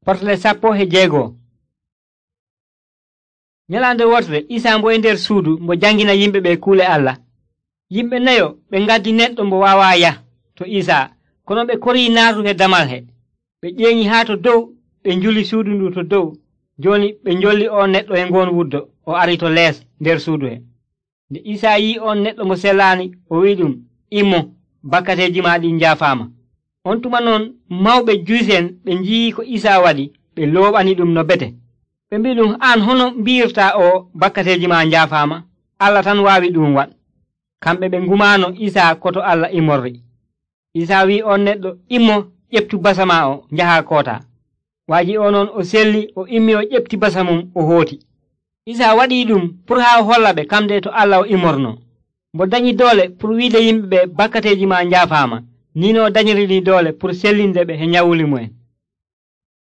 Portale 16. Nyalande wotere Isa mbo e nder suudu mbo jangina yimɓe ɓe kuule Allah. Yimɓe nayo ɓe ngaddi neɗɗo mbo waawa yah to Isa, kono ɓe korii naatude damal he. Ɓe ƴeeŋi haa to dow, ɓe njuli suudu ndu to dow. Jooni ɓe njolli on neɗɗo e ngoon wuddo o ari to lees nder suudu he. Nde Isa yi'i on neɗɗo mo selaani, o wi'i immo, bakkateeji ma ɗi njaafaama. On tuma noon mawɓe Juysen ɓe nji'i ko Isa waɗi, ɓe looɓani no bete. Ɓe mbi an hono mbi'irta o bakkateeji ma njaafaama? Allah tan waawi waɗ. Kamɓe ɓe ngumaano Isa koto Allah immorri. Isa wi'i on neɗɗo, immo, ƴeftu basa ma o, njaha koota. Waaji o noon o selli, o immi o ƴefti basa mum o hooti. Isa waɗi pour haa o holla ɓe kamde to Allah o immorno. Mbo dañi doole pour wiide yimɓe ɓe bakkateeji ma njaafaama, ni no dañiri doole pour sellinde ɓe he nyawuli mu'en.